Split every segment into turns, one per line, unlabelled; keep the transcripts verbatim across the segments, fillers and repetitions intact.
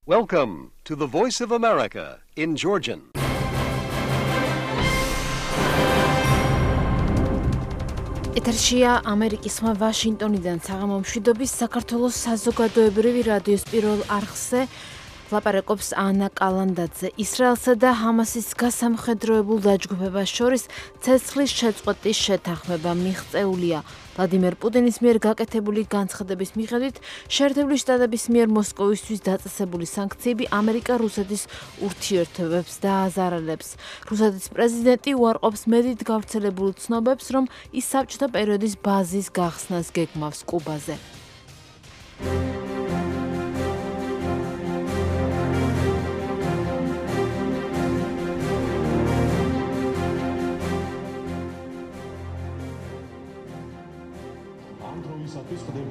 Welcome to the Voice of America in Georgian.
ეთერშია ამერიკის ხმა ვაშინგტონიდან საღამომშვიდობის საქართველოს საზოგადოებრივი რადიოს პირველ არხზე ლაპარაკობს ანა კალანდაძე. ისრაელსა და ჰამასის გასამხედროებულ დაჯგუფებას შორის ცეცხლის შეწყვეტის შეთანხმება მიღწეულია. ვლადიმერ პუტინის მიერ გაკეთებული განცხადების მიხედვით შეერთებული შტატების მიერ მოსკოვისთვის დაწესებული სანქციები ამერიკა-რუსეთის ურთიერთობებს დააზარალებს. რუსეთის პრეზიდენტი უარყოფს მედით გავრცელებულ ცნობებს, რომ ის საბჭოთა პერიოდის ბაზის გახსნას გეგმავს კუბაზე.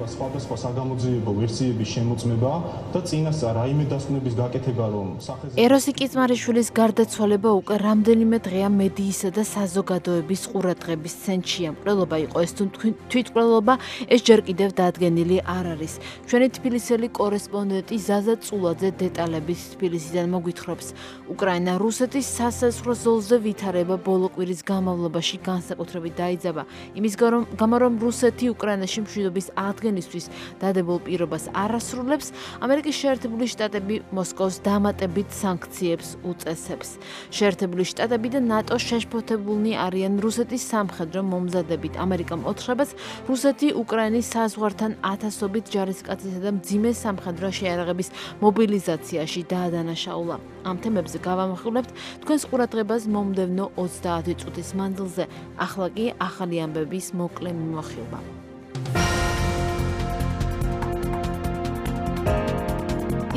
სხვადასხვა საგამოძიებო ვერსიების შემოწმება და წინასწარ რაიმე დასკვნების გაკეთება, რომ
სახელმწიფო ეროსი კიწმარიშვილის გარდაცვალება უკვე რამდენიმე დღეა მედიისა და საზოგადოების ყურადღების ცენტრშია. მკვლელობა იყო ეს თუ თვითმკვლელობა, ეს ჯერ კიდევ დადგენილი არ არის. ჩვენი თბილისელი კორესპონდენტი ზაზა წულაძე დეტალების თბილისიდან მოგვითხრობს. უკრაინა რუსეთის სასაზღვრო ზოლზე ვითარება ბოლო კვირის განმავლობაში განსაკუთრებით დაიძაბა. იმის გამო, რომ რუსეთი უკრაინაში მშვიდობის ადგენისთვის დადებულ პირობას არ ასრულებს, ამერიკის შეერთებული შტატები მოსკოვს დამატებით სანქციებს უწესებს. შეერთებული შტატები და ნატო შეშფოთებულნი არიან რუსეთის სამხედრო მომზადებით. ამერიკამ ოთხრებას რუსეთი უკრაინის საზღვართან ათასობით ჯარისკაცისა და მძიმე სამხედრო შეიარაღების მობილიზაციაში დაადანაშაულა. ამ თემებზე გავამახვილებთ თქვენს ყურადღებას მომდევნო ოცდაათი წუთის მანძილზე. ახლა კი ახალი ამბების მოკლე მიმოხილვა.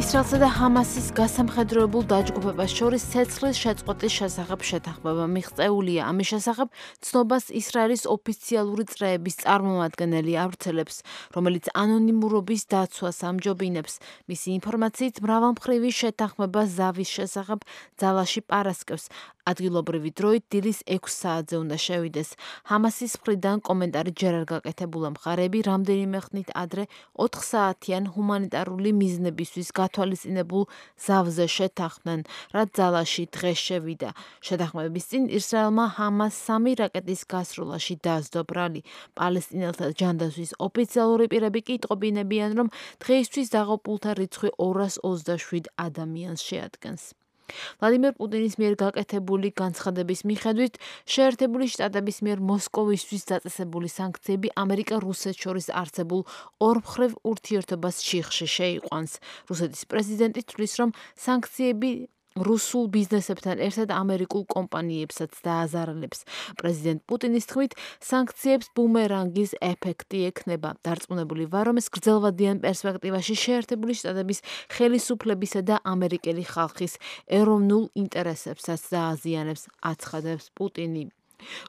ისრაელსა და ჰამასის გასამხედროებულ დაჯგუფებას შორის ცეცხლის შეწყვეტის შესახებ შეთანხმება მიღწეულია. ამის შესახებ ცნობას ისრაელის ოფიციალური წრეების წარმომადგენელი ავრცელებს, რომელიც ანონიმურობის დაცვას ამჯობინებს. მისი ინფორმაციით, მრავალმხრივი შეთანხმება ზავის შესახებ ძალაში პარასკევს. ადგილობრივი დროით დილის ექვს საათზე უნდა შევიდეს. ჰამასის მხრიდან კომენტარი ჯერ არ გაკეთებულა. მხარეები რამდენიმე ხნით ადრე ოთხ საათიან ჰუმანიტარული მიზნებისთვის გათვალისწინებულ ზავზე შეთანხმდნენ, რაც ძალაში დღეს შევიდა. შეთანხმების წინ ისრაელმა ჰამას სამი რაკეტის გასროლაში დასდო ბრალი. პალესტინელთა ჯანდაცვის ოფიციალური პირები კი იტყობინებიან, რომ დღეისთვის დაღუპულთა რიცხვი ორას ოცდაშვიდ ადამიანს შეადგენს. ვლადიმერ პუტინის მიერ გაკეთებული განცხადების მიხედვით შეერთებული შტატების მიერ მოსკოვისთვის დაწესებული სანქციები ამერიკა-რუსეთს შორის არსებულ ორმხრივ ურთიერთობას შიხში შეიყვანს. რუსეთის პრეზიდენტი თვლის, რომ სანქციები რუსულ ბიზნესებთან ერთად ამერიკულ კომპანიებსაც დააზარალებს. პრეზიდენტ პუტინის თქმით, სანქციებს ბუმერანგის ეფექტი ექნება. დარწმუნებული ვარ, რომ ეს გრძელვადიან პერსპექტივაში შეერთებული შტატების ხელისუფლებისა და ამერიკელი ხალხის ეროვნულ ინტერესებსაც დააზიანებს, აცხადებს პუტინი.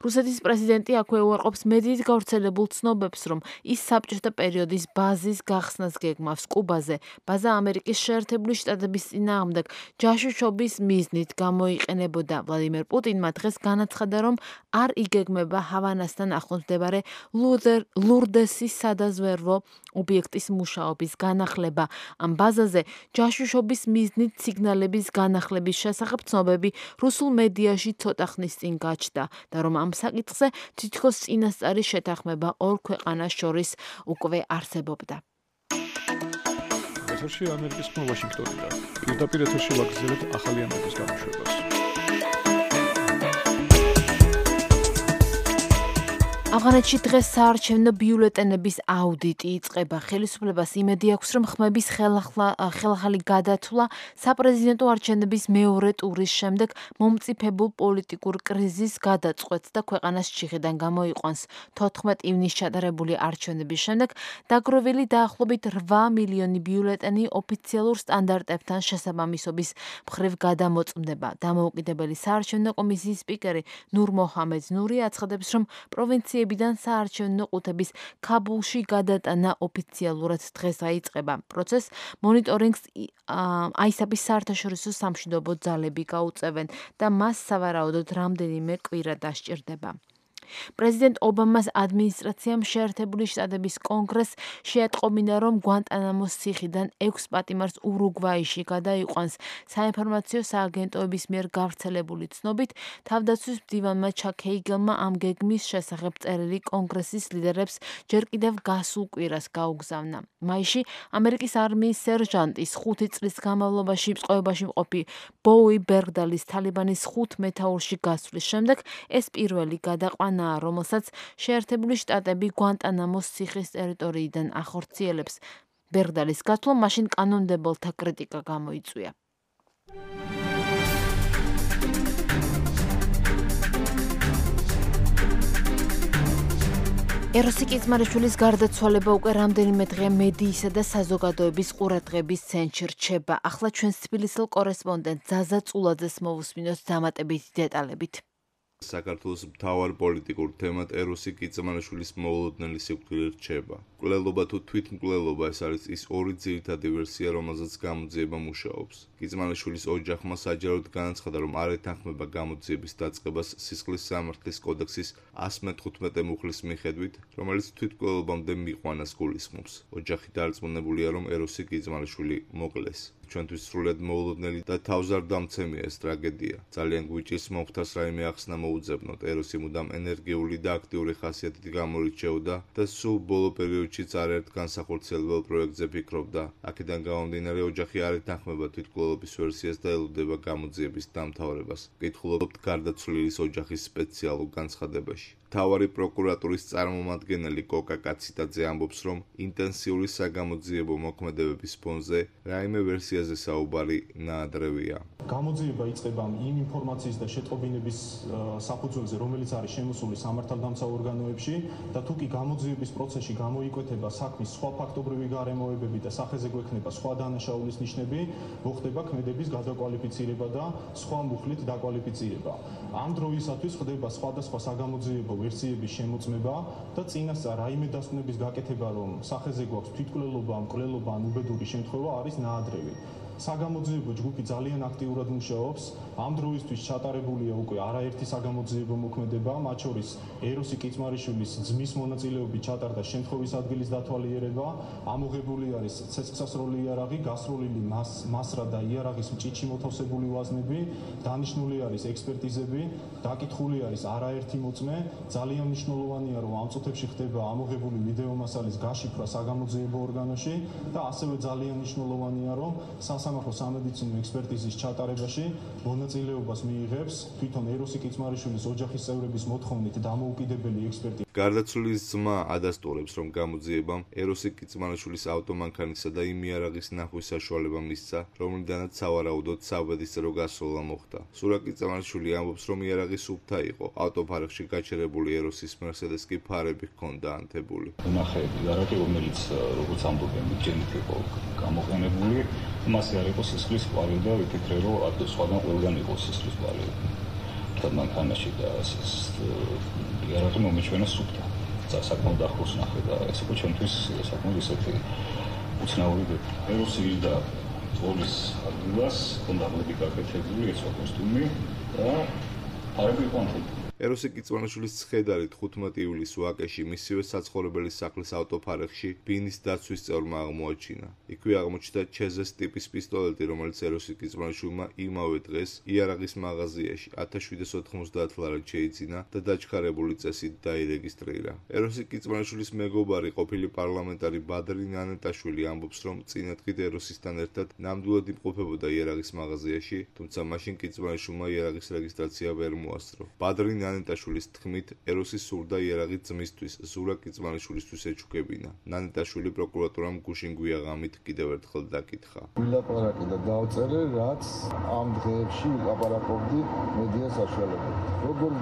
რუსეთის პრეზიდენტი აქვე უარყოფს მედით გავრცელებულ ცნობებს, რომ ის საბჭოთა პერიოდის ბაზის გახსნას გეგმავს კუბაზე. ბაზა ამერიკის შეერთებული შტატების წინააღმდეგ ჯაშუშობის მიზნით გამოიყენებოდა. ვლადიმერ პუტინმა დღეს განაცხადა, რომ არ იგეგმება ჰავანასთან ახლოს მდებარე ლურდესის სადაზვერვო ობიექტის მუშაობის განახლება. ამ ბაზაზე ჯაშუშობის მიზნით სიგნალების განახლების შესახებ ცნობები რუსულ მედიაში ცოტა ხნის წინ გაჩნდა და რომ ამ საკითხზე თითქოს წინასწარი შეთანხმება ორ ქვეყანას შორის უკვე არსებობდა.
ეთერში ამერიკის ხმა ვაშინგტონიდან. პირდაპირ ეთერში ვაგრძელებთ ახალი ამბების გამოშვებას.
ავღანეთში დღეს საარჩევნო ბიულეტენების აუდიტი იწყება. ხელისუფლებას იმედი აქვს, რომ ხმების ხელახალი გადათვლა საპრეზიდენტო არჩევნების მეორე ტურის შემდეგ მომწიფებულ პოლიტიკურ კრიზისს გადაწყვეტს და ქვეყანას ჩიხიდან გამოიყვანს. თოთხმეტ ივნისს ჩატარებული არჩევნების შემდეგ დაგროვილი დაახლოებით რვა მილიონი ბიულეტენი ოფიციალურ სტანდარტებთან შესაბამისობის მხრივ გადამოწმდება. დამოუკიდებელი საარჩევნო კომისიის სპიკერი ნურ მოჰამედ ნური აცხადებს, რომ პროვინციები ვებიდან საარჩევნო ყუთების ქაბულში გადატანა ოფიციალურად დღეს დაიწყება. პროცესს მონიტორინგს აისაფის საერთაშორისო სამშვიდობო ძალები გაუწევენ და მას სავარაუდოდ რამდენიმე კვირა დასჭირდება. პრეზიდენტ ობამას ადმინისტრაციამ შეერთებული შტატების კონგრესს შეატყობინა, რომ გვანტანამოს ციხიდან ექვს პატიმარს ურუგვაიში გადაიყვანს. საინფორმაციო სააგენტოების მიერ გავრცელებული ცნობით, თავდაცვის მდივანმა ჩაკ ჰეიგელმა ამ გეგმის შესახებ წერილი კონგრესის ლიდერებს ჯერ კიდევ გასულ კვირას გაუგზავნა. მაისში ამერიკის არმიის სერჟანტის ხუთი წლის განმავლობაში წყობაში მყოფი ბოუი ბერგდალის თალიბანის ხუთ მეთაურში გასვლის შემდეგ ეს პირველი გადაყვანაა, რომელსაც შეერთებული შტატები გვანტანამოს ციხის ტერიტორიიდან ახორციელებს. ბერგდალის გასვლამ მაშინ კანონმდებელთა კრიტიკა გამოიწვია. ეროსი კიძმარიშვილის გარდაცვალება უკვე რამდენიმე დღე მედიისა და საზოგადოების ყურადღების ცენტრში რჩება. ახლა ჩვენს თბილისელ კორესპონდენტ ზაზა წულაძეს მოვუსმინოთ დამატებითი დეტალებით.
საქართველოს მთავარ პოლიტიკურ თემად ეროსი კიძმარიშვილის მოულოდნელი სიკვდილი რჩება. მკვლელობა თუ თვითმკვლელობა ეს არის ის ორი ძირითადი ვერსია, რომელზეც გამოძიება მუშაობს. კიძმარიშვილის ოჯახმა საჯაროდ განაცხადა, რომ არ ეთანხმება გამოძიების დაწყებას სისხლის სამართლის კოდექსის ასი მეთხუთმეტე მუხლის მიხედვით, რომელიც თვითმკვლელობამდე მიყვანას გულისხმობს. ოჯახი დარწმუნებულია, რომ ეროსი კიძმარიშვილი მოკლეს. ჩვენთვის სრულად მოულოდნელი და თავზარდამცემია ეს ტრაგედია. ძალიან გვიჭირს მომხდარს რაიმე ახსნა მოუძებნოთ. ეროსი მუდამ ენერგიული და აქტიური ხასიათით გამორიჩეოდა და სულ ბოლო პერიოდშიც არაერთ განსახორციელებელ პროექტზე ფიქრობდა. აქედან გამომდინარე, ოჯახი არ ეთანხმება თვითმკვლელობის ვერსიას და ელოდება გამოძიების დამთავრებას. ვკითხულობთ გარდაცვლილის ოჯახის სპეციალურ განცხადებაში. მთავარი პროკურატურის წარმომადგენელი კოკა კაციტაძე ამბობს, რომ ინტენსიური საგამოძიებო მოქმედებების ფონზე რაიმე ვერსიაზე საუბარი ნაადრევია.
გამოძიება იწყება იმ ინფორმაციის და შეტყობინების საფუძველზე, რომელიც არის შემოსული სამართალდამცავ ორგანოებში და თუ კი გამოძიების პროცესში გამოიკვეთება საქმის სხვა ფაქტობრივი გარემოებები და სახეზე გვექნება სხვა დანაშაულის ნიშნები, მოხდება ქმედების გადაკვალიფიცირება და სხვა მუხლით დაკვალიფიცირება. ამ დროისათვის ხდება სხვადასხვა საგამოძიებო ვერსიების შემოწმება და წინასწარ რაიმე დასკვნების გაკეთება, რომ სახეზე გვაქვს თვითმკვლელობა, მკვლელობა ან უბედური შემთხვევა არის ნაადრევი. საგამოძიებო ჯგუფი ძალიან აქტიურად მუშაობს. ამ დროისთვის ჩატარებულია უკვე არაერთი საგამოძიებო მოქმედება, მათ შორის ეროსი კიძმარიშვილის ძმის მონაწილეობით ჩატარდა შემთხვევის ადგილის დათვალიერება, ამოღებული არის ცეცხლსასროლი იარაღი, გასროლილი მასრა და იარაღის მჭიდში მოთავსებული ვაზნები, დანიშნული არის ექსპერტიზები, დაკითხული არის არაერთი მოწმე. ძალიან მნიშვნელოვანია, რომ ამ წუთებში ხდება ამოღებული ვიდეომასალის გაშიფრვა საგამოძიებო ორგანოში და ასევე ძალიან მნიშვნელოვანია, რომ სასამართლო სამედიცინო ექსპერტიზის ჩატარებაში მონაწილეობას მიიღებს თვითონ ეროსი კიძმარიშვილის ოჯახის წევრების მოთხოვნით დამოუკიდებელი ექსპერტი.
გარდაცვლილის ძმა ადასტურებს, რომ გამოძიებამ ეროსი კიძმარიშვილის ავტომანქანისა და იმ იარაღის ნახვის საშუალება მისცა, რომლიდანაც სავარაუდოდ საბედისწერო გასროლა მოხდა. სურა კიძმარიშვილი ამბობს, რომ იარაღი სუფთა იყო. ავტოფარეხში გაჩერებული ეროსის მერსედეს კი ფარები ჰქონდა ანთებული.
ნახეები იარაღი, რომელიც როგორც ამბობენ, ჯენით იყო გამოყენებული, მასე არ იყო სისხლის კვალი და ვიფიქრე, რომ ადრე სხვაგან ყველგან იყო სისხლის კვალი. მანქანაში და იარაღი მომეჩვენა სუფთა. საკმაოდ ახლოს ნახე და ეს იყო ჩვენთვის საკმაოდ ისეთი უცნაური დეტალი. ეროსი და თოლის ადგილას ჰქონდა ღლები გაკეთებული, ეცვა კოსტუმი და ფარები იყო ანთებული.
ეროსი კიძმარიშვილის ცხედარი თხუთმეტი ივლისს ვაკეში მისივე საცხოვრებელი სახლის ავტოფარეხში ბინის დაცვის წევრმა აღმოაჩინა. იქვე აღმოჩნდა ჩეზეს ტიპის პისტოლეტი, რომელიც ეროსი კიძმარიშვილმა იმავე დღეს იარაღის მაღაზიაში ათას შვიდს ოთხმოცდაათ ლარად შეიძინა და დაჩქარებული წესით დაირეგისტრირა. ეროსი კიძმარიშვილის მეგობარი ყოფილი პარლამენტარი ბადრი ნანეტაშვილი ამბობს, რომ წინა დღით ეროსისთან ერთად ნამდვილად იმყოფებოდა იარაღის მაღაზიაში, თუმცა მაშინ კიძმარიშვილმა იარაღის რეგისტრაცია ვერ მოასწრო. ბადრი ნანეტაშვილის თქმით, ეროსი სურდა იარაღი ძმისთვის, ზურა კიძმარიშვილისთვის ეჩუქებინა. ნანეტაშვილი პროკურატურამ გუშინ გვიაღამით კიდევ ერთხელ დაკითხა.
ვილაპარაკე და დავწერე, რაც ამ დღეებში ვილაპარაკობდი მედია საშუალებებით. როგორ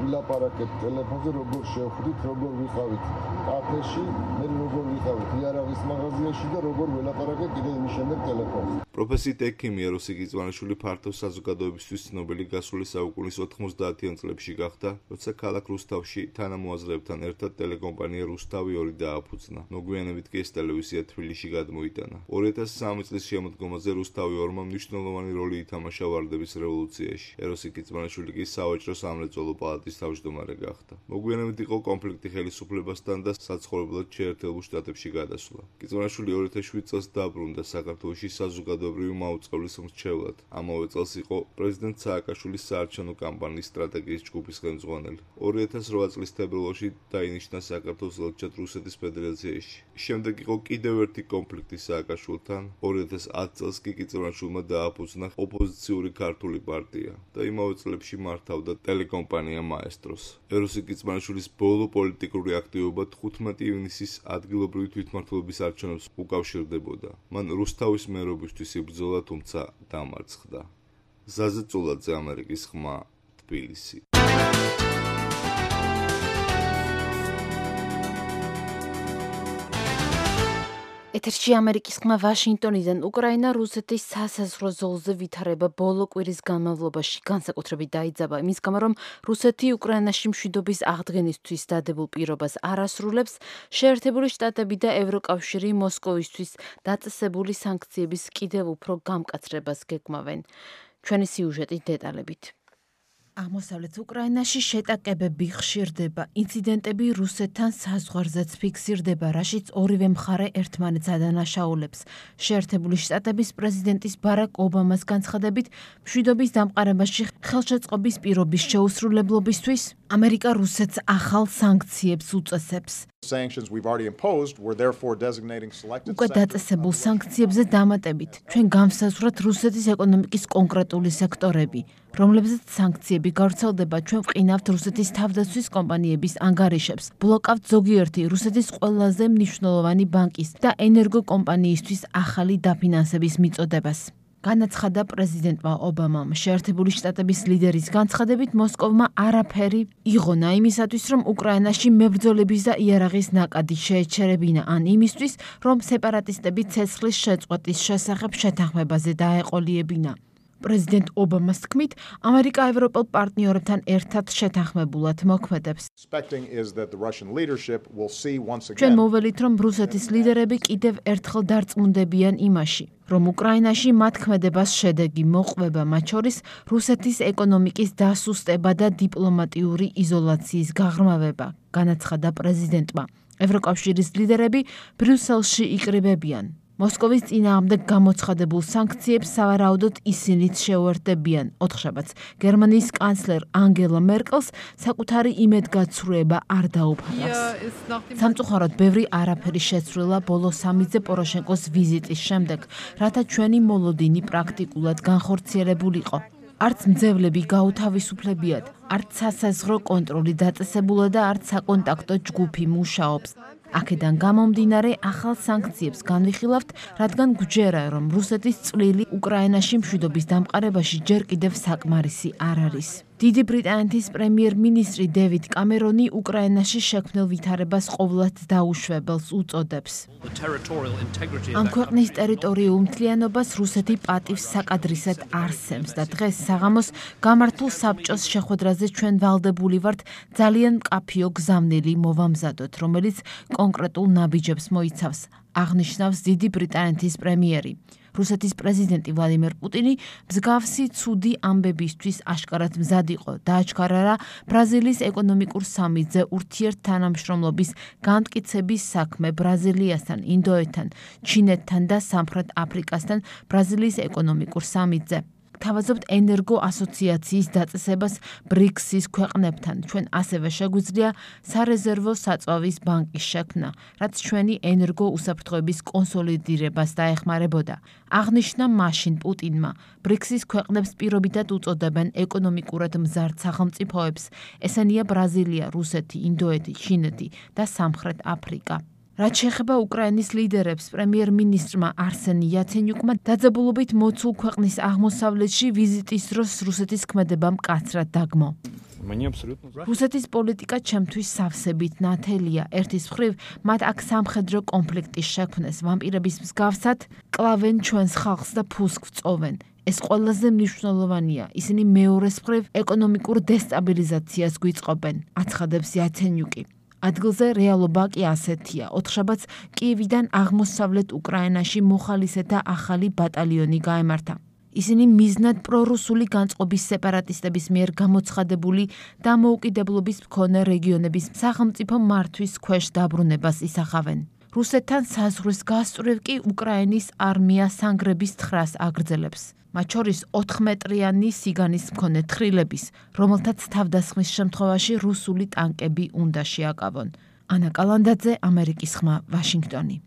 ვილაპარაკეთ ტელეფონზე, როგორ შევხვდით, როგორ ვიყავით კაფეში, მე როგორ ვიყავით იარაღის მაღაზიაში და როგორ ვილაპარაკე კიდევ იმის შემდეგ ტელეფონზე.
პროფესიით ექიმი ეროსი კიძმარიშვილი ფართო საზოგადოებისთვის ცნობილი გასული საუკუნის ოთხმოცდაათიან წლებში გახდა, როცა ქალაქ რუსთავში თანამოაზრეებთან ერთად ტელეკომპანია რუსთავი ორი დააფუძნა. მოგვიანებით კი ეს ტელევიზია თბილისში გადმოიტანა. ორი ათას სამი წლის შემოდგომაზე რუსთავი ორმა მნიშვნელოვანი როლი ითამაშა ვარდების რევოლუციაში. ეროსი კიძმანიშვილი კი სავაჭრო სამრეწველო პალატის თავმჯდომარე გახდა. მოგვიანებით იყო კონფლიქტი ხელისუფლებასთან და საცხოვრებლად შეერთებულ შტატებში გადასვლა. კიძმანიშვილი ორი ათას შვიდ წელს დაბრუნდა საქართველოში საზოგადოებრივი მაუწყებლის მრჩევლად. ამავე წელს იყო პრეზიდენტ სააკაშვილის საარჩევნო კამპანიის სტრატეგიის ჯგუფის ხელმძღვანელი. ორი ათას რვა წლის თებერვალში დაინიშნა საქართველოს ელჩად რუსეთის ფედერაციაში. შემდეგ იყო კიდევ ერთი კონფლიქტი სააკაშვილთან. ორი ათას ათი წელს კი კიძმაშვილმა დააფუძნა ოპოზიციური ქართული პარტია და იმავე წლებში მართავდა ტელეკომპანია მაესტროს. ეროსი კიძმაშვილის ბოლო პოლიტიკური აქტივობა თხუთმეტი ივნისის ადგილობრივი თვითმმართველობის არჩევნებს უკავშირდებოდა. მან რუსთავის მერობისთვის იბრძოლა, თუმცა დამარცხდა. ზაზა წულაძე, ამერიკის ხმა, თბილისი.
ეთერში ამერიკის ხმა ვაშინგტონიდან. უკრაინა რუსეთის სასაზღვრო ზოლზე ვითარება ბოლო კვირის განმავლობაში განსაკუთრებით დაიძაბა იმის გამო, რომ რუსეთი უკრაინაში მშვიდობის აღდგენისთვის დადებულ პირობას არ ასრულებს. შეერთებული შტატები და ევროკავშირი მოსკოვისთვის დაწესებული სანქციების კიდევ უფრო გამკაცრებას გეგმავენ. ჩვენი სიუჟეტი დეტალებით. აღმოსავლეთ უკრაინაში შეტაკებები ხშირდება, ინციდენტები რუსეთთან საზღვარზეც ფიქსირდება, რაშიც ორივე მხარე ერთმანეთს ადანაშაულებს. შეერთებული შტატების პრეზიდენტის ბარაკ ობამას განცხადებით, მშვიდობის დამყარებაში ხელშეწყობის პირობის შეუსრულებლობისთვის ამერიკა რუსეთს ახალ სანქციებს უწესებს. უკვე დაწესებულ სანქციებზე დამატებით, ჩვენ გავსაზღვროთ რუსეთის ეკონომიკის კონკრეტული სექტორები, რომლებზეც სანქციები გავრცელდება, ჩვენ ვყინავთ რუსეთის თავდაცვის კომპანიების ანგარიშებს, ბლოკავთ ზოგიერთი რუსეთის ყველაზე მნიშვნელოვანი ბანკის და ენერგოკომპანიისთვის ახალი დაფინანსების მიწოდებას. განაცხადა პრეზიდენტმა ობამამ. შეერთებული შტატების ლიდერის განცხადებით, მოსკოვმა არაფერი იღონა იმისათვის, რომ უკრაინაში მებრძოლების და იარაღის ნაკადი შეეჩერებინა, ან იმისთვის, რომ სეპარატისტები ცეცხლის შეწყვეტის შესახებ შეთანხმებაზე დაეყოლიებინა. პრეზიდენტ ობამას თქმით, ამერიკა ევროპელ პარტნიორებთან ერთად შეთანხმებულად მოქმედებს. ჩვენ მოველით, რომ რუსეთის ლიდერები კიდევ ერთხელ დარწმუნდებიან იმაში, რომ უკრაინაში მათ ქმედებას შედეგი მოყვება, მათ შორის რუსეთის ეკონომიკის დასუსტება და დიპლომატიური იზოლაციის გაღრმავება, განაცხადა პრეზიდენტმა. ევროკავშირის ლიდერები ბრიუსელში იკრიბებიან. მოსკოვის წინააღმდეგ გამოცხადებულ სანქციებს სავარაუდოდ ისინიც შეუერთდებიან. ოთხშაბათს გერმანიის კანცლერ ანგელა მერკელს საკუთარი იმედგაცრუება არ დაუფალავს. სამწუხაროდ ბევრი არაფერი შეცვლილა ბოლო სამიძე პოროშენკოს ვიზიტის შემდეგ, რათა ჩვენი მოლოდინი პრაქტიკულად განხორციელებულიყო. არც მძევლები გაუთავისუფლებიათ, არც სასაზღვრო კონტროლი დაწესებულა და არც საკონტაქტო ჯგუფი მუშაობს. აქედან გამომდინარე ახალ სანქციებს განვიხილავთ, რადგან გვჯერა, რომ რუსეთის წვლილი უკრაინაში მშვიდობის დამყარებაში ჯერ კიდევ საკმარისი არ არის. დიდი ბრიტანეთის პრემიერ-მინისტრი დევიდ კამერონი უკრაინაში შექმნილ ვითარებას ყოვლად დაუშვებელს უწოდებს. ამ ქვეყნის ტერიტორიულ მთლიანობას რუსეთი პატივს საკადრისად არსემს და დღეს საღამოს გამართულ საბჭოს შეხვედრაზე ჩვენ ვალდებული ვართ ძალიან მკაფიო გზავნილი მოვამზადოთ, რომელიც კონკრეტულ ნაბიჯებს მოიცავს, აღნიშნავს დიდი ბრიტანეთის პრემიერი. რუსეთის პრეზიდენტი ვლადიმერ პუტინი მსგავსი ცუდი ამბებისთვის აშკარად მზად იყო. დააჩქარა რა ბრაზილიის ეკონომიკურ სამიტზე ურთიერთთანამშრომლობის განმტკიცების საქმე ბრაზილიასთან, ინდოეთთან, ჩინეთთან და სამხრეთ აფრიკასთან ბრაზილიის ეკონომიკურ სამიტზე. თავაზობთ ენერგო ასოციაციის დაწესებას ბრიქსის ქვეყნებთან. ჩვენ ასევე შეგვიძლია სარეზერვო საწვავის ბანკის შექმნა, რაც ჩვენი ენერგო უსაფრთხოების კონსოლიდირებას დაეხმარებოდა. აღნიშნა მაშინ პუტინმა, ბრიქსის ქვეყნებს პირობითად უწოდებენ ეკონომიკურად მზარდ სახელმწიფოებს. ესენია ბრაზილია, რუსეთი, ინდოეთი, ჩინეთი და სამხრეთ აფრიკა. რაც შეეხება უკრაინის ლიდერებს, პრემიერ-მინისტრმა არსენ იაცენიუკმა დაძაბულობით მოცულ ქვეყნის აღმოსავლეთში ვიზიტის დროს რუსეთის ქმედება მკაცრად დაგმო. რუსეთის პოლიტიკა ჩემთვის სავსებით ნათელია. ერთის მხრივ, მათ აქ სამხედრო კონფლიქტის შექმნეს ვამპირების მსგავსად კლავენ ჩვენს ხალხს და ფულს გვწოვენ. ეს ყველაზე მნიშვნელოვანია. ისინი მეორეს მხრივ ეკონომიკურ დესტაბილიზაციას გვიწყობენ, აცხადებს იაცენიუკი. ადგილზე რეალობა კი ასეთია. ოთხშაბათს კიევიდან აღმოსავლეთ უკრაინაში მოხალისეთა ახალი ბატალიონი გაემართა. ისინი მიზნად პრორუსული განწყობის სეპარატისტების მიერ გამოცხადებული დამოუკიდებლობის მქონე რეგიონების სახელმწიფო მართვის ქვეშ დაბრუნებას ისახავენ. რუსეთთან საზღვრის გასწვრივ კი უკრაინის არმია სანგრების თხრას აგრძელებს. მათ შორის ოთხმეტრიანი სიგანის მქონე თხრილების, რომელთაც თავდასხმის შემთხვევაში რუსული ტანკები უნდა შეაკავონ. ანა კალანდაძე, ამერიკის ხმა, ვაშინგტონი.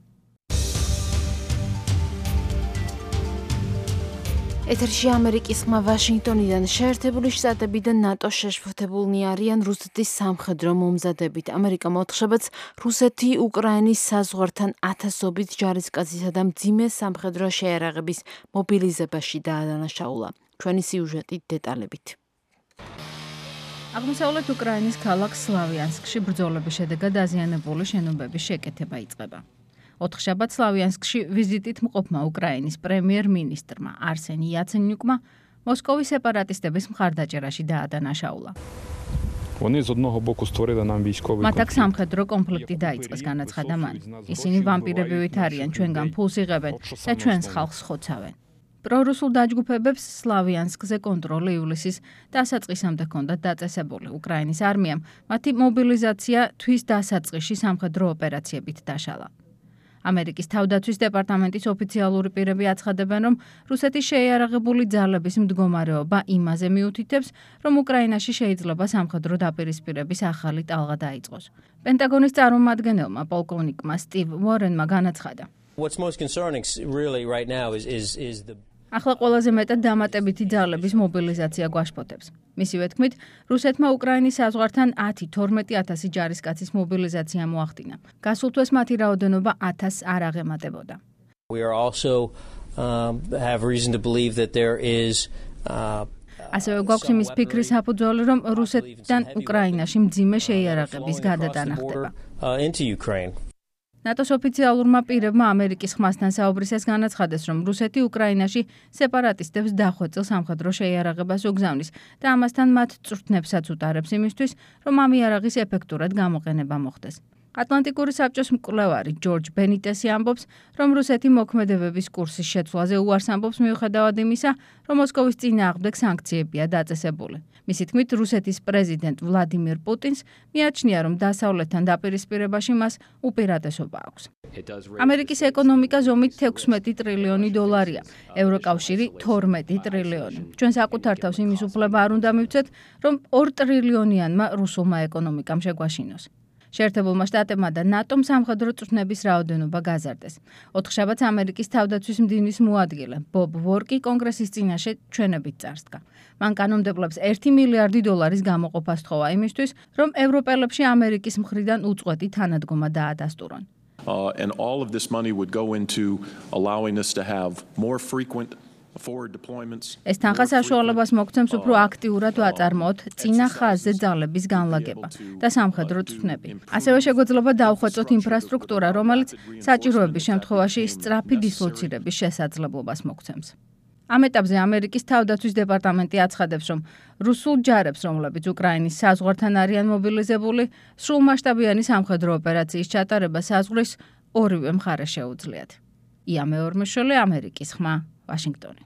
ეთერში ამერიკის ხმა ვაშინგტონიდან. შეერთებული შტატები და ნატო შეშფოთებულნი არიან რუსეთის სამხედრო მომზადებით. ამერიკამ ოთხშაბათს რუსეთი უკრაინის საზღვართან ათასობით ჯარისკაცისა და მძიმე სამხედრო შეიარაღების მობილიზებაში დაადანაშაულა. ჩვენი სიუჟეტი დეტალებით.
აღმოსავლეთ უკრაინის ქალაქ სლავიანსკში ბრძოლების შედეგად დაზიანებული შენობების შეკეთება იწყება. ოთხშაბათს სლავიანსკში ვიზიტით მყოფმა უკრაინის პრემიერ-მინისტრმა არსენი იაცენიუკმა მოსკოვის სეპარატისტების მხარდაჭერაში დაადანაშაულა. მათ აქ სამხედრო კონფლიქტი დაიწყეს, განაცხადა მან. ისინი ვამპირები ვით არიან, ჩვენგან ფულს იღებენ და ჩვენს ხალხს ხოცავენ. პრორუსულ დაჯგუფებებს სლავიანსკზე კონტროლი ივლისის დასაწყისამდე ჰქონდათ დაწესებული. უკრაინის არმიამ მათი მობილიზაცია თვის დასაწყისში სამხედრო ოპერაციებით დაშალა. ამერიკის თავდაცვის დეპარტამენტის ოფიციალური პირები აცხადებენ, რომ რუსეთის შეიარაღებული ძალების მდგომარეობა იმაზე მიუთითებს, რომ უკრაინაში შეიძლება სამხედრო დაპირისპირების ახალი ტალღა დაიწყოს. პენტაგონის წარმომადგენელმა პოლკოვნიკმა სტივ უორენმა განაცხადა. ახლა ყველაზე მეტად დამატებითი ძალების მობილიზაცია გვაშფოთებს. მისივე თქმით, რუსეთმა უკრაინის საზღვართან ათი თორმეტი ათასი ჯარისკაცის მობილიზაცია მოახდინა. გასულ თვეს მათი რაოდენობა ათასს არ აღემატებოდა. ასევე გვაქვს იმის ფიქრის საფუძველი, რომ რუსეთიდან უკრაინაში მძიმე შეიარაღების გადატანა ხდება. ნატოს ოფიციალურმა პირებმა ამერიკის ხმასთან საუბრისას განაცხადეს, რომ რუსეთი უკრაინაში სეპარატისტებს დახვეწილ სამხედრო შეიარაღებას უგზავნის და ამასთან მათ წვრთნებსაც უტარებს იმისთვის, რომ ამ იარაღის ეფექტურად გამოყენება მოხდეს. ატლანტიკური საბჭოს მკვლევარი ჯორჯ ბენიტესი ამბობს, რომ რუსეთი მოქმედებების კურსის შეცვლაზე უარს ამბობს მიუხედავად იმისა, რომ მოსკოვის წინააღმდეგ სანქციებია დაწესებული. მისი თქმით, რუსეთის პრეზიდენტ ვლადიმირ პუტინს მიაჩნია, რომ დასავლეთთან დაპირისპირებაში მას უპირატესობა აქვს. ამერიკის ეკონომიკა ზომით ექვსმეტი ტრილიონი დოლარია, ევროკავშირი თორმეტი ტრილიონი. ჩვენ საკუთარ თავს იმის უფლება არ უნდა მივცეთ, რომ ორ ტრილიონიანმა რუსულმა ეკონომიკამ შეგვაშინოს. შეერთებულმა შტატებმა და ნატომ სამხედრო წვრთნების რაოდენობა გაზარდეს. ოთხშაბათს ამერიკის თავდაცვის მდივნის მოადგილე ბობ ვორკი კონგრესის წინაშე ჩვენებით წარსდგა. მან კანონმდებლებს ერთი მილიარდი დოლარის გამოყოფა სთხოვა იმისთვის, რომ ევროპელებში ამერიკის მხრიდან უწყვეტი თანადგომა დაადასტურონ.
Uh, and all of this money would go into allowing us to have more frequent
ეს თანხა საშუალებას მოგცემს უფრო აქტიურად ვაწარმოოთ წინა ხაზზე ძალების განლაგება და სამხედრო წვრთნები. ასევე შეგვეძლება დავხვეწოთ ინფრასტრუქტურა, რომელიც საჭიროების შემთხვევაში სწრაფი დისლოცირების შესაძლებლობას მოგცემს. ამ ეტაპზე ამერიკის თავდაცვის დეპარტამენტი აცხადებს, რომ რუსულ ჯარებს, რომლებიც უკრაინის საზღვართან არიან მობილიზებული, სრულმასშტაბიანი სამხედრო ოპერაციის ჩატარება საზღვრის ორივე მხარეს შეუძლიათ. ია მეორმეშვილი, ამერიკის ხმა, ვაშინგტონი.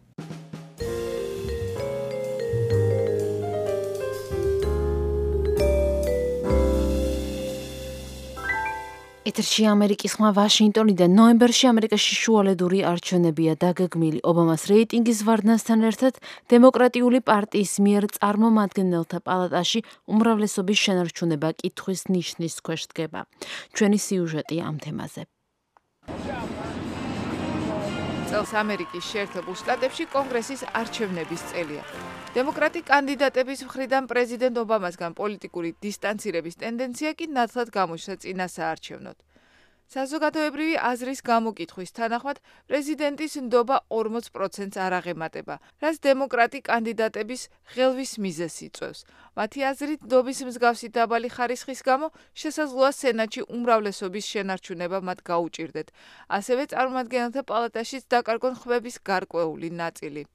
ეთერში ამერიკის ხმა ვაშინგტონიდან. ნოემბერში ამერიკაში შუალედური არჩევნებია დაგეგმილი. ობამას რეიტინგის ვარდნასთან ერთად დემოკრატიული პარტიის მიერ წარმომადგენელთა პალატაში უმრავლესობის შენარჩუნება კითხვის ნიშნის ქვეშ დგება. ჩვენი სიუჟეტი ამ თემაზე.
წელს ამერიკის შეერთებულ შტატებში კონგრესის არჩევნების წელია. დემოკრატი კანდიდატების მხრიდან პრეზიდენტ ობამასგან პოლიტიკური დისტანცირების ტენდენცია კი ნათლად გამოჩნდა წინა საარჩევნოდ. საზოგადოებრივი აზრის გამოკითხვის თანახმად პრეზიდენტის ნდობა ორმოც პროცენტს არ აღემატება, რაც დემოკრატი კანდიდატების ღელვის მიზეზს იწვევს. მათი აზრით, ნდობის მსგავსი დაბალი ხარისხის გამო შესაძლოა სენატში უმრავლესობის შენარჩუნება მათ გაუჭირდეთ. ასევე წარმომადგენელთა პალატაშიც დაკარგონ ხმების გარკვეული ნაწილი.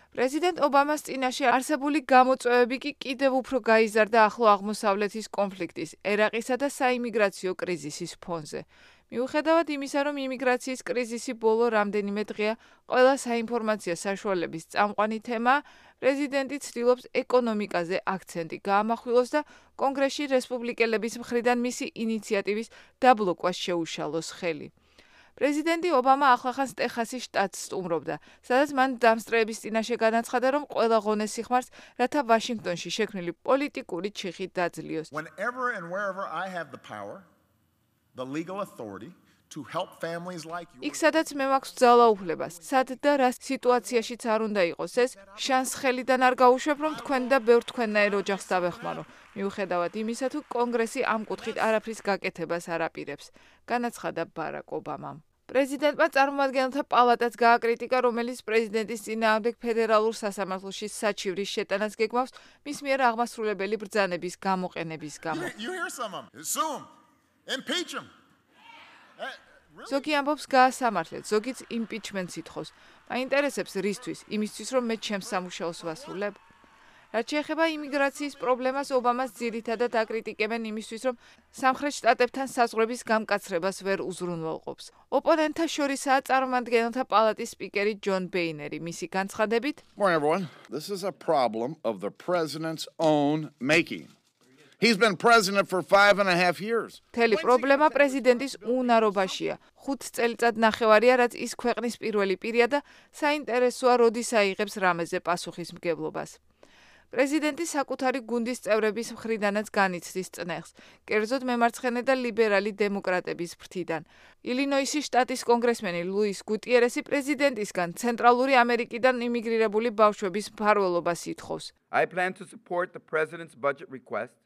პრეზიდენტ ობამას წინაშე არსებული გამოწვევები კი კიდევ უფრო გაიზარდა ახლო აღმოსავლეთის კონფლიქტის, ერაყისა და საიმიგრაციო კრიზისის ფონზე. მიუხედავად იმისა, რომ იმიგრაციის კრიზისი ბოლო რამდენიმე დღეა ყველა საინფორმაციო საშუალების წამყვანი თემაა, პრეზიდენტი ცდილობს ეკონომიკაზე აქცენტი გაამახვილოს და კონგრესში რესპუბლიკელების მხრიდან მისი ინიციატივის დაბლოკვას შეუშალოს ხელი. პრეზიდენტი ობამა ახლახანს ტეხასის შტატს სტუმრობდა, სადაც მან დამსწრეების წინაშე განაცხადა, რომ ყველა ღონეს სიხმარს, რათა ვაშინგტონში შექმნილი პოლიტიკური ჩიხი დაძლიოს.
Whenever and wherever I have the power, the legal authority to help families like yours.
იქ სადაც მე მაქვს ძალაუფლებას, სად და რა სიტუაციაშიც არ უნდა იყოს ეს, შანს ხელიდან არ გაუშვებ, რომ თქვენ და ბევრ თქვენნაირ ოჯახს დავეხმარო. მიუხედავად იმისა, თუ კონგრესი ამ კუთხით არაფრის გაკეთებას არ აპირებს, განაცხადა ბარაკ ობამამ. პრეზიდენტმა წარმომადგენელთა პალატაც გააკრიტიკა, რომელიც პრეზიდენტის წინააღმდეგ ფედერალურ სასამართლოში საჩივრის შეტანას გეგმავს მის მიერ აღმასრულებელი ბრძანების გამოყენების გამო.
You hear some of them. Assume. Impeach him.
ზოგი ამბობს გაასამართლეთ, ზოგიც იმპიჩმენტს ითხოვს. მაინტერესებს რისთვის, იმისთვის რომ მე ჩემს სამუშაოს ვასრულებ? რაც შეეხება იმიგრაციის პრობლემას, ობამას ძირითადად აკრიტიკებენ იმისთვის, რომ სამხრეთ შტატებთან საზღვრების გამკაცრებას ვერ უზრუნველყოფს. ოპონენტთა შორისაა წარმომადგენელთა პალატის სპიკერი ჯონ ბეინერი, მისი განცხადებით.
Morning everyone. This is a problem of the president's own making. He's been president for five and a half years.
თელი პრობლემა პრეზიდენტის უნარობაშია. ხუთ წელიწად ნახევარია, რაც ის ქვეყნის პირველი პირია და საინტერესოა, როდის აიღებს რამეზე პასუხისმგებლობას. პრეზიდენტი საკუთარი გუნდის წევრების მხრიდანაც განიცდის წნეხს, კერძოდ მემარცხენე და ლიბერალი დემოკრატების ფრთიდან. ილინოისის შტატის კონგრესმენი ლუის გუტიერესი პრეზიდენტისგან ცენტრალური ამერიკიდან იმიგრირებული ბავშვების მფარველობას ითხოვს.
I plan to support the president's budget request.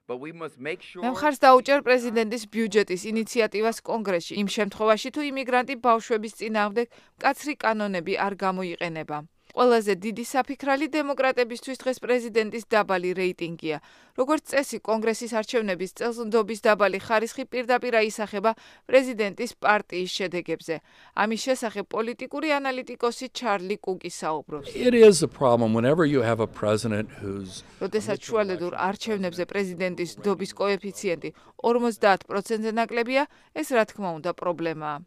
But we must make sure
მე მხარს დაუჭერ პრეზიდენტის ბიუჯეტის ინიციატივას კონგრესში იმ შემთხვევაში, თუ იმიგრანტი ბავშვების წინააღმდეგ მკაცრი კანონები არ გამოიყენება. ყველაზე დიდი საფიქრალი დემოკრატებისთვის დღეს პრეზიდენტის დაბალი რეიტინგია. როგორც წესი, კონგრესის არჩევნების წელს ნდობის დაბალი ხარისხი პირდაპირ აისახება პრეზიდენტის პარტიის შედეგებზე. ამის შესახებ პოლიტიკური ანალიტიკოსი ჩარლი კუკი საუბრობს.
It is a problem whenever you have a president who's
როდესაც შუალედურ არჩევნებზე პრეზიდენტის ნდობის კოეფიციენტი ორმოცდაათ პროცენტზე ნაკლებია, ეს რა თქმა უნდა პრობლემაა.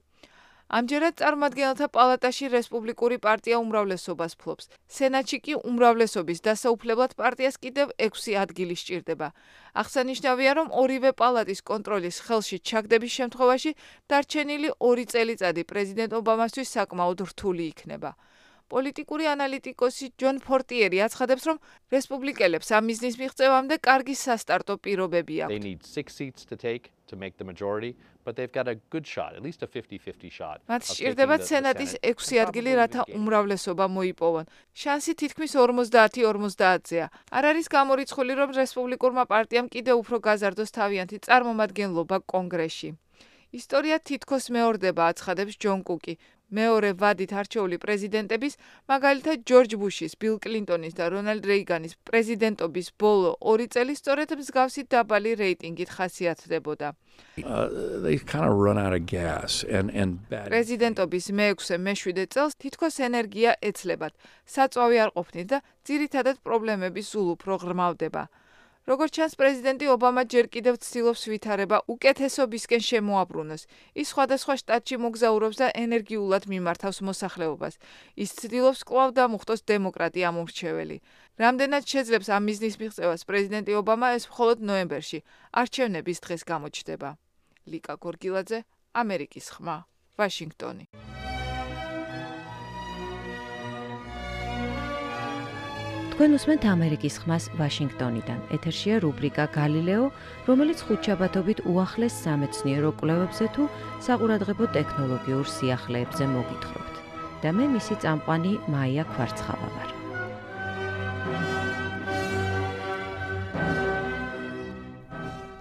ამჯერად წარმომადგენელთა პალატაში რესპუბლიკური პარტია უმრავლესობას ფლობს. სენატში კი უმრავლესობის დასაუფლებლად პარტიას კიდევ ექვსი ადგილი სჭირდება. აღსანიშნავია, რომ ორივე პალატის კონტროლის ხელში ჩაგდების შემთხვევაში დარჩენილი ორი წელიწადი პრეზიდენტ ობამასთვის საკმაოდ რთული იქნება. პოლიტიკური ანალიტიკოსი ჯონ ფორტიერი აცხადებს, რომ რესპუბლიკელებს ამ მიზნის მიღწევამდე კარგი სასტარტო პირობები აქვთ.
They need six seats to take to make the majority, but they've got a good shot, at least a fifty fifty shot.
მათ სჭირდებათ სენატის ექვსი ადგილი, რათა უმრავლესობა მოიპოვონ. შანსი თითქმის ორმოცდაათი ორმოცდაათზეა. არ არის გამორიცხული, რომ რესპუბლიკურმა პარტიამ კიდევ უფრო გაზარდოს თავიანთი წარმომადგენლობა კონგრესში. ისტორია თითქოს მეორდება, აცხადებს ჯონ კუკი. მეორე ვადით არჩეული პრეზიდენტების, მაგალითად ჯორჯ ბუშის, ბილ კლინტონის და რონალდ რეიგანის პრეზიდენტობის ბოლო ორი წელი სწორედ მსგავსი დაბალი რეიტინგით ხასიათდებოდა. პრეზიდენტობის მეექვსე მეშვიდე წელს თითქოს ენერგია ეცლებათ, საწვავი არ ყოფნით და ძირითადად პრობლემები სულ უფრო ღრმავდება. როგორც ჩანს, პრეზიდენტი ობამა ჯერ კიდევ ცდილობს ვითარება უკეთესობისკენ შემოაბრუნოს. ის სხვადასხვა შტატში მოგზაურობს და ენერგიულად მიმართავს მოსახლეობას. ის ცდილობს კვლავ დამუხტოს დემოკრატი ამომრჩეველი. რამდენად შეძლებს ამ მიზნის მიღწევას პრეზიდენტი ობამა, ეს მხოლოდ ნოემბერში, არჩევნების დღეს გამოჩნდება. ლიკა გორგილაძე, ამერიკის ხმა, ვაშინგტონი.
თქვენ უსმენთ ამერიკის ხმას ვაშინგტონიდან. ეთერშია რუბრიკა გალილეო, რომელიც ხუთშაბათობით უახლეს სამეცნიერო კვლევებზე თუ საყურადღებო ტექნოლოგიურ სიახლეებზე მოგითხრობთ. და მე მისი წამყვანი მაია ქვარცხავა ვარ.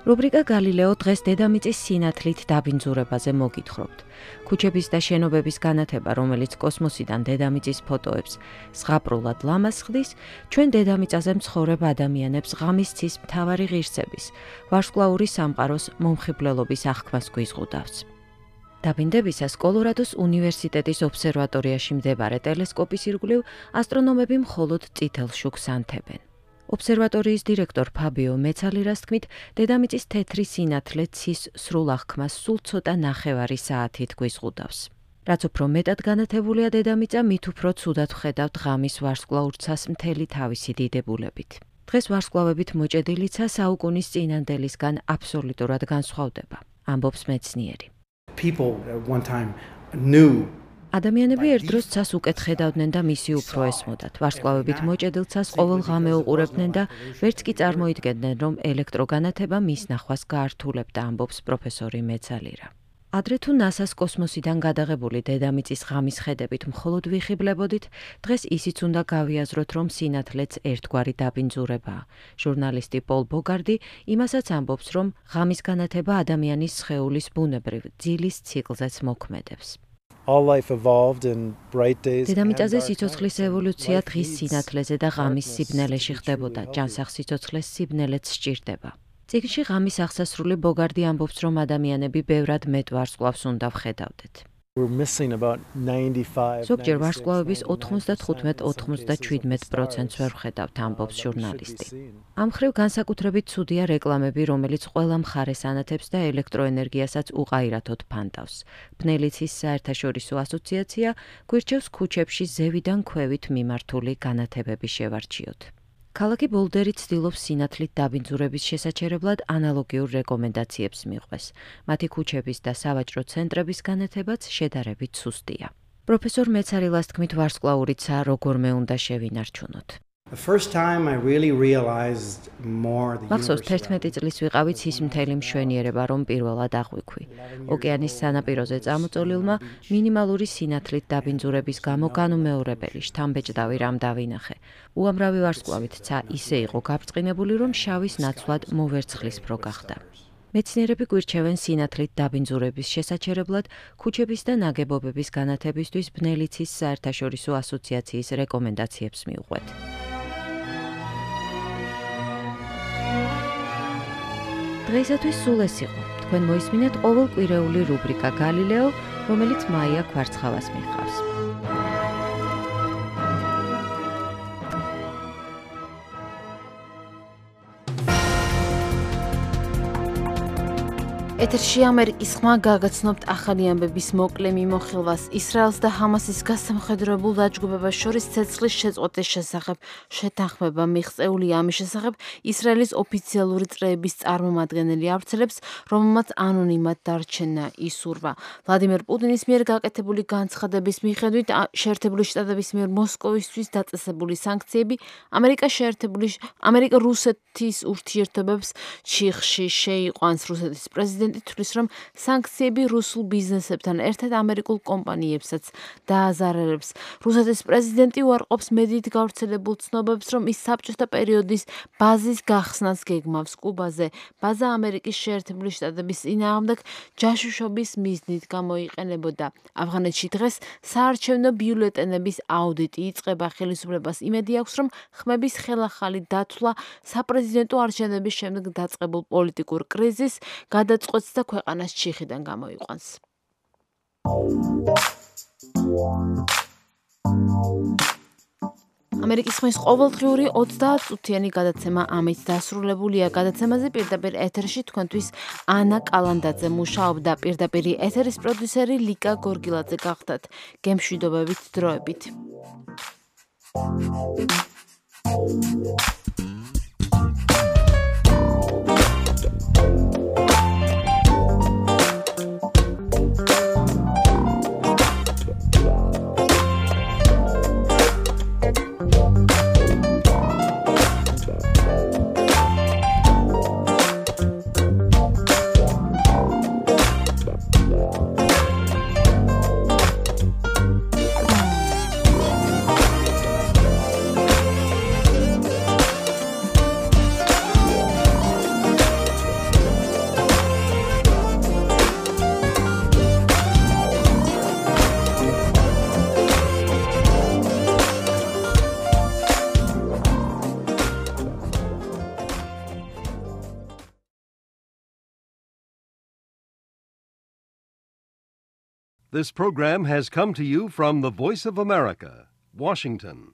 რუბრიკა გალილეო დღეს დედამიწის სინათლით დაბინძურებაზე მოგითხრობთ. ქუჩების და შენობების განათება, რომელიც კოსმოსიდან დედამიწის ფოტოებს ზღაპრულად ლამაზ ხდის, ჩვენ დედამიწაზე მცხოვრებ ადამიანებს ღამის ცის მთავარი ღირსების, ვარსკვლავური სამყაროს მომხიბვლელობის აღქმას გვიზღუდავს. დაბინდებისას კოლორადოს უნივერსიტეტის ობსერვატორიაში მდებარე ტელესკოპის ირგვლივ ასტრონომები მხოლოდ წითელ შუქს ანთებენ. ობსერვატორიის დირექტორ ფაბიო მეცალირას თქმით, დედამიწის თეთრი სინათლე ცის სრულ აღქმას სულ ცოტა ნახევარი საათით გვიზღუდავს. რაც უფრო მეტად განათებულია დედამიწა, მით უფრო ცუდად ვხედავთ ღამის ვარსკვლაურცას მთელი თავისი დიდებულებით. დღეს ვარსკვლავებით მოჭედილიცა საუკუნის წინანდელისგან აბსოლუტურად განსხვავდება, ამბობს მეცნიერი.
People at one time knew
ადამიანები ერთდროს ცას უკეთ ხედავდნენ და მისი უფრო ესმოდათ. ვარსკვლავებით მოჭედილ ცას ყოველ ღამე უყურებდნენ და ვერც კი წარმოიდგენდნენ, რომ ელექტროგანათება მის ნახვას გაართულებდა, ამბობს პროფესორი მეცალირა. ადრე თუ ნასას კოსმოსიდან გადაღებული დედამიწის ღამის ხედებით მხოლოდ ვიხიბლებოდით, დღეს ისიც უნდა გავიაზროთ, რომ სინათლეც ერთგვარი დაბინძურებაა. ჟურნალისტი პოლ ბოგარდი იმასაც ამბობს, რომ ღამის განათება ადამიანის სხეულის ბუნებრივ ძილის ციკლზეც მოქმედებს. დედამიწაზე სიცოცხლის ევოლუცია დღის სინათლეზე და ღამის სიბნელეში ხდებოდა, ჯანსაღ სიცოცხლეს სიბნელეც სჭირდება. წიგნში ღამის აღსასრული ბოგარდი ამბობს, რომ ადამიანები ბევრად მეტ ვარსკვლავს უნდა ვხედავდეთ. ზოგჯერ ვარსკვლავების ოთხმოცდათხუთმეტ ოცდაშვიდ პროცენტს ვერ ვხედავთ, ამბობს ჟურნალისტი. ამ მხრივ განსაკუთრებით ცუდია რეკლამები, რომელიც ყველა მხარეს ანათებს და ელექტროენერგიასაც უყაირათოდ ფანტავს. ბნელიცის საერთაშორისო ასოციაცია გვირჩევს ქუჩებში ზევიდან ქვევით მიმართული განათებები შევარჩიოთ. ქალაქი ბოლდერი ცდილობს სინათლით დაბინძურების შესაჩერებლად ანალოგიურ რეკომენდაციებს მიყვეს. მათი ქუჩების და სავაჭრო ცენტრების განათებაც შედარებით სუსტია. პროფესორ მეცარილას თქმით, ვარსკვლაურიცა როგორმე უნდა შევინარჩუნოთ. მახსოვს თერთმეტი წლის ვიყავით ის მთელი მშვენიერება, რომ პირველად აღვიქვი. ოკეანის სანაპიროზე წამოწოლილმა მინიმალური სინათლით დაბინძურების გამო განუმეორებელი შთამბეჭდავი რამ დავინახე. უამრავი ვარსკვლავით ცა ისე იყო გაბრწყინებული, რომ შავის ნაცვლად მოვერცხლისფრო გახდა. მეცნიერები გვირჩევენ სინათლით დაბინძურების შესაჩერებლად ქუჩების და ნაგებობების განათებისთვის ბნელიცის საერთაშორისო ასოციაციის რეკომენდაციებს მიუყვეთ. დღეისათვის სულ ეს იყო. თქვენ მოისმინეთ ყოველკვირეული რუბრიკა გალილეო, რომელიც მაია ქვარცხავას მიჰყავს.
ეთერში ამერიკის ხმა გაგაცნობთ ახალი ამბების მოკლე მიმოხილვას. ისრაელს და ჰამასის გასამხედროებულ დაჯგუფებას შორის ცეცხლის შეწყვეტის შესახებ შეთანხმება მიღწეულია. ამის შესახებ ისრაელის ოფიციალური წრეების წარმომადგენელი ავრცელებს, რომელმაც ანონიმად დარჩენა ისურვა. ვლადიმერ პუტინის მიერ გაკეთებული განცხადების მიხედვით, შეერთებული შტატების მიერ მოსკოვისთვის დაწესებული სანქციები ამერიკა შეერთებული ამერიკა რუსეთის ურთიერთობებს ჩიხში შეიყვანს. რუსეთის პრეზიდენტი თვლის, რომ სანქციები რუსულ ბიზნესებთან ერთად ამერიკულ კომპანიებსაც დააზარალებს. რუსეთის პრეზიდენტი უარყოფს მედიით გავრცელებულ ცნობებს, რომ ის საბჭოთა პერიოდის ბაზის გახსნას გეგმავს კუბაზე. ბაზა ამერიკის შეერთებული შტატების წინააღმდეგ ჯაშუშობის მიზნით გამოიყენებოდა. ავღანეთში დღეს საარჩევნო ბიულეტენების აუდიტი იწყება. ხელისუფლებას იმედი აქვს, რომ ხმების ხელახალი დათვლა საპრეზიდენტო არჩევნების შემდეგ დაწყებულ პოლიტიკურ კრიზისს გადაწყვეტს და ქვეყანას ჩიხიდან გამოიყვანს. ამერიკის ხმის ყოველდღიური ოცდაათწუთიანი გადაცემა ამით დასრულებულია. გადაცემაზე პირდაპირ ეთერში თქვენთვის ანა კალანდაძე მუშაობდა. პირდაპირი ეთერის პროდიუსერი ლიკა გორგილაძე გახდათ. გემშვიდობებით დროებით.
This program has come to you from the Voice of America, Washington.